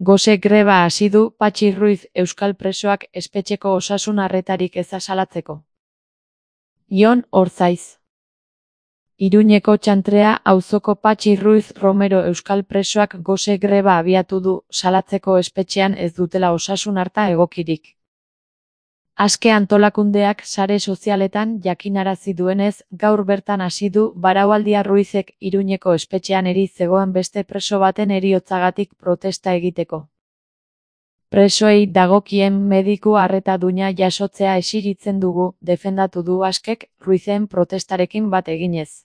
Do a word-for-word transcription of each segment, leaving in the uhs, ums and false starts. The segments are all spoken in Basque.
Gose greba hasi du Patxi Ruiz euskal presoak espetxeko osasun arretarik eza salatzeko. Jon Orzaiz. Iruñeko Txantrea auzoko Patxi Ruiz Romero euskal presoak gose greba abiatu du salatzeko espetxean ez dutela osasun arta egokirik. Aske antolakundeak sare sozialetan jakinarazi duenez, gaur bertan hasi du Baraualdia Ruizek Iruñeko espetxean eri zegoen beste preso baten heriotzagatik protesta egiteko. Presoei dagokien mediku arreta duina jasotzea esiritzen dugu, defendatu du Askek Ruizen protestarekin bat eginez.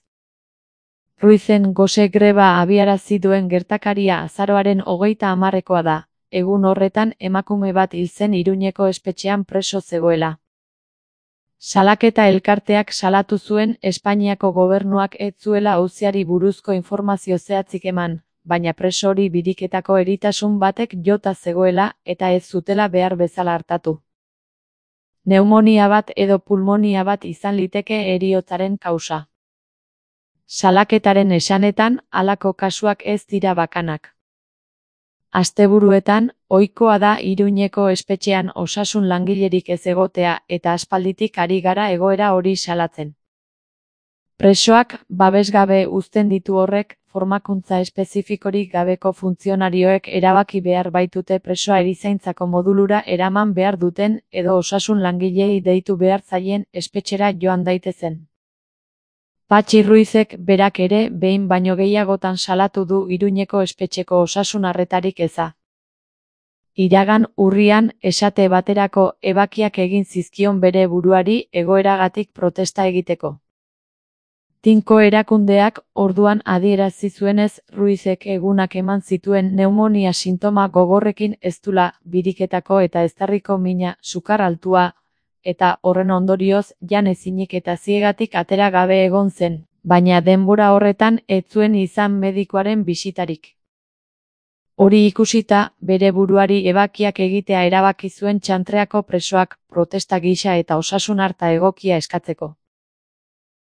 Ruizen gose greba abiarazi duen gertakaria azaroaren hogeita hamarrekoa da. Egun horretan emakume bat hil zen Iruñeko espetxean preso zegoela. Salaketa elkarteak salatu zuen Espainiako gobernuak ez zuela auziari buruzko informazio zehatzik eman, baina preso hori biriketako eritasun batek jota zegoela eta ez zutela behar bezala artatu. Neumonia bat edo pulmonia bat izan liteke heriotzaren kausa. Salaketaren esanetan, halako kasuak ez dira bakanak. Asteburuetan, ohikoa da Iruñeko espetxean osasun langilerik ez egotea eta aspalditik ari gara egoera hori salatzen. Presoak babesgabe uzten ditu horrek, formakuntza espezifikorik gabeko funtzionarioek erabaki behar baitute presoa erizaintzako modulura eraman behar duten edo osasun langileei deitu behar zaien espetxera joan daitezen. Patxi Ruizek berak ere behin baino gehiagotan salatu du Iruñeko espetxeko osasun arretarik eza. Iragan urrian, esate baterako, ebakiak egin zizkion bere buruari egoeragatik protesta egiteko. Tinko erakundeak orduan adierazi zuenez Ruizek egunak eman zituen neumonia sintoma gogorrekin eztula, biriketako eta eztarriko mina, sukar altua, eta horren ondorioz jan ezinik eta ziegatik atera gabe egon zen, baina denbora horretan ez zuen izan medikuaren bisitarik. Hori ikusita, bere buruari ebakiak egitea erabaki zuen Txantreako presoak, protesta gisa eta osasun arta egokia eskatzeko.